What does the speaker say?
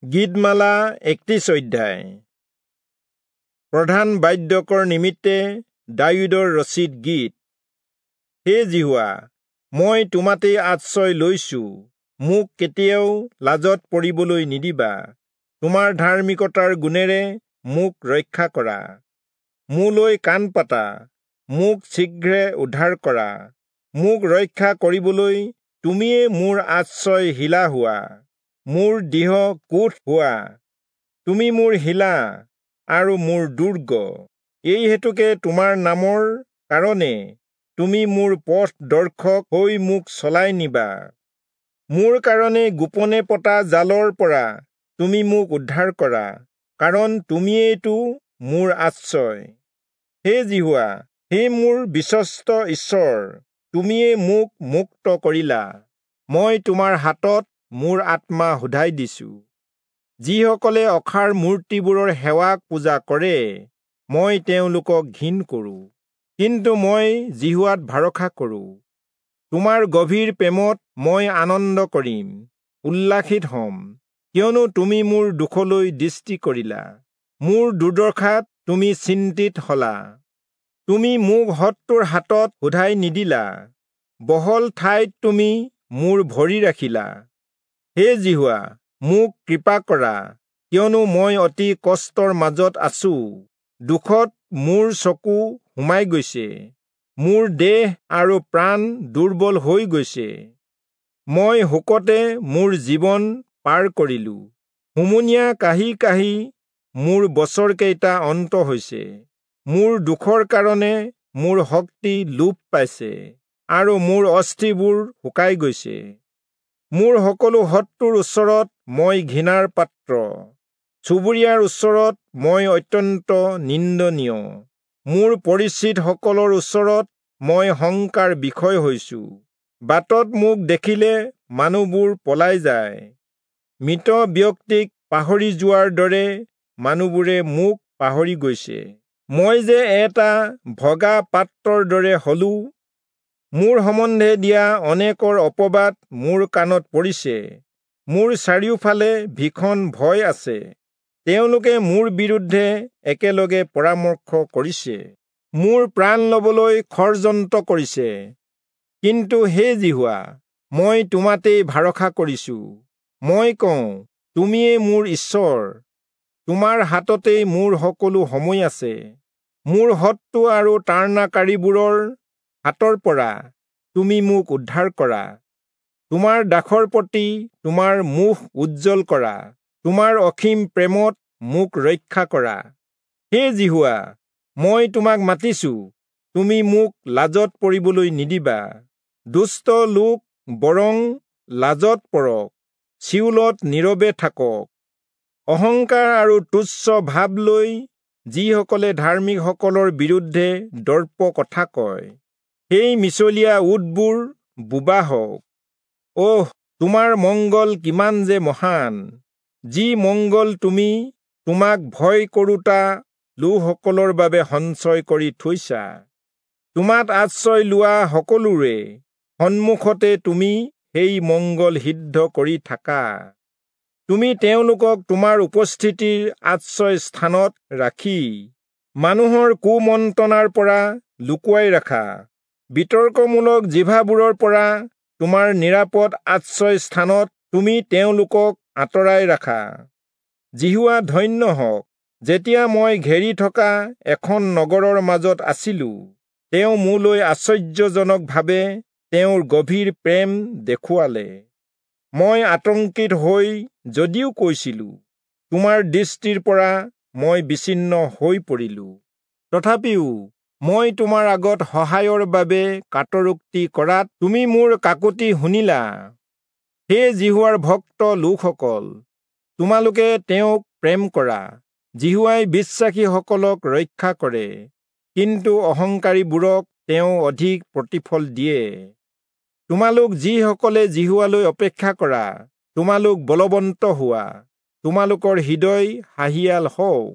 গীতমালা 31 অধ্যায়। প্ৰধান বাদ্যকৰ নিমিত্তে দায়ূদৰ ৰচিত গীত। হে যিহোৱা, মই তোমাতেই আশ্ৰয় লৈছো, মোক কেতিয়াও লাজত পৰিবলৈ নিদিবা। তোমাৰ ধাৰ্মিকতাৰ গুণেৰে মোক ৰক্ষা কৰা। মোলৈ কাণ পাতা, মোক শীঘ্ৰে উদ্ধাৰ কৰা। মোক ৰক্ষা কৰিবলৈ তুমিয়ে মোৰ আশ্ৰয় শিলা হোৱা, মোৰ দৃঢ় কোঁঠ হোৱা। তুমি মোৰ শিলা আৰু মোৰ দুৰ্গ। এই হেতুকে তোমাৰ নামৰ কাৰণে তুমি মোৰ পথ দৰ্শক হৈ মোক চলাই নিবা। মোৰ কাৰণে গোপনে পতা জালৰ পৰা তুমি মোক উদ্ধাৰ কৰা, কাৰণ তুমিয়েইতো মোৰ আশ্ৰয়। হে যিহোৱা, হে মোৰ বিশ্বস্ত ঈশ্বৰ, তুমিয়ে মোক মুক্ত কৰিলা। মই তোমাৰ হাতত মোৰ আত্মা শোধাই দিছো। যিসকলে অসাৰ মূৰ্তিবোৰৰ সেৱা পূজা কৰে, মই তেওঁলোকক ঘিণ কৰোঁ, কিন্তু মই যিহোৱাত ভৰসা কৰোঁ। তোমাৰ গভীৰ প্ৰেমত মই আনন্দ কৰিম, উল্লাসিত হ'ম, কিয়নো তুমি মোৰ দুখলৈ দৃষ্টি কৰিলা, মোৰ দুৰ্দশাত তুমি চিন্তিত হলা। তুমি মোক শত্ৰুৰ হাতত শোধাই নিদিলা, বহল ঠাইত তুমি মোৰ ভৰি ৰাখিলা। হে যিহোৱা, মোক কৃপা কৰা, কিয়নো মই অতি কষ্টৰ মাজত আছো। দুখত মোৰ চকু সোমাই গৈছে, মোৰ দেহ আৰু প্ৰাণ দুৰ্বল হৈ গৈছে। মই শোকতে মোৰ জীৱন পাৰ কৰিলো, হুমুনিয়া কাঢ়ি কাঢ়ি মোৰ বছৰকেইটা অন্ত হৈছে। মোৰ দুখৰ কাৰণে মোৰ শক্তি লোপ পাইছে আৰু মোৰ অস্থিবোৰ শুকাই গৈছে। মোৰ সকলো শত্ৰুৰ ওচৰত মই ঘৃণাৰ পাত্ৰ, চুবুৰীয়াৰ ওচৰত মই অত্যন্ত নিন্দনীয়। মোৰ পৰিচিতসকলৰ ওচৰত মই শংকাৰ বিষয় হৈছো। বাটত মোক দেখিলে মানুহবোৰ পলাই যায়। মৃত ব্যক্তিক পাহৰি যোৱাৰ দৰে মানুহবোৰে মোক পাহৰি গৈছে। মই যে এটা ভগা পাত্ৰৰ দৰে হলো, মোৰ সম্বন্ধে দিয়া অনেকৰ অপবাদ মোৰ কাণত পৰিছে। মোৰ চাৰিওফালে ভীষণ ভয় আছে, তেওঁলোকে মোৰ বিৰুদ্ধে একেলগে পৰামৰ্শ কৰিছে, মোৰ প্ৰাণ লবলৈ ষড়যন্ত্ৰ কৰিছে। কিন্তু হে যিহোৱা, মই তোমাতেই ভৰসা কৰিছো। মই কওঁ, তুমিয়ে মোৰ ঈশ্বৰ, তোমাৰ হাততেই মোৰ সকলো সময় আছে। মোৰ শত্ৰু আৰু তাড়নাকাৰীবোৰৰ হাতৰ পৰা তুমি মোক উদ্ধাৰ কৰা। তোমাৰ দাসৰ প্ৰতি তোমাৰ মুখ উজ্জ্বল কৰা, তোমাৰ অসীম প্ৰেমত মোক ৰক্ষা কৰা। হে যিহোৱা, মই তোমাক মাতিছো, তুমি মোক লাজত পৰিবলৈ নিদিবা। দুষ্ট লোক বৰং লাজত পৰক, চিয়োলত নীৰৱে থাকক। অহংকাৰ আৰু তুচ্ছ ভাৱ লৈ যিসকলে ধাৰ্মিকসকলৰ বিৰুদ্ধে দৰ্প কথা কয়, সেই মিছলীয়া ওঁঠবোৰ বোবা হওক। অহ, তোমাৰ মংগল কিমান যে মহান, যি মংগল তুমি তোমাক ভয় কৰোঁতা লোকসকলৰ বাবে সঞ্চয় কৰি থৈছা। তোমাত আশ্ৰয় লোৱা সকলোৰে সন্মুখতে তুমি সেই মংগল সিদ্ধ কৰি থাকা। তুমি তেওঁলোকক তোমাৰ উপস্থিতিৰ আশ্ৰয় স্থানত ৰাখি মানুহৰ কুমন্ত্ৰণাৰ পৰা লুকুৱাই ৰাখা। বিতৰ্কমূলক জিভাবোৰৰ পৰা তোমাৰ নিৰাপদ আশ্ৰয় স্থানত তুমি তেওঁলোকক আঁতৰাই ৰাখা। যিহোৱা ধন্য হওক, যেতিয়া মই ঘেৰি থকা এখন নগৰৰ মাজত আছিলো, তেওঁ মোলৈ আশ্চৰ্যজনকভাৱে তেওঁৰ গভীৰ প্ৰেম দেখুৱালে। মই আতংকিত হৈ যদিও কৈছিলো, তোমাৰ দৃষ্টিৰ পৰা মই বিচ্ছিন্ন হৈ পৰিলো, তথাপিও মই তোমাৰ আগত সহায়ৰ বাবে কাতৰোক্তি কৰাত তুমি মোৰ কাকুতি শুনিলা। হে যিহোৱাৰ ভক্ত লোকসকল, তোমালোকে তেওঁক প্ৰেম কৰা। যিহোৱাই বিশ্বাসীসকলক ৰক্ষা কৰে, কিন্তু অহংকাৰীবোৰক তেওঁ অধিক প্ৰতিফল দিয়ে। তোমালোক যিসকলে যিহোৱালৈ অপেক্ষা কৰা, তোমালোক বলৱন্ত হোৱা, তোমালোকৰ হৃদয় সাহিয়াল হওক।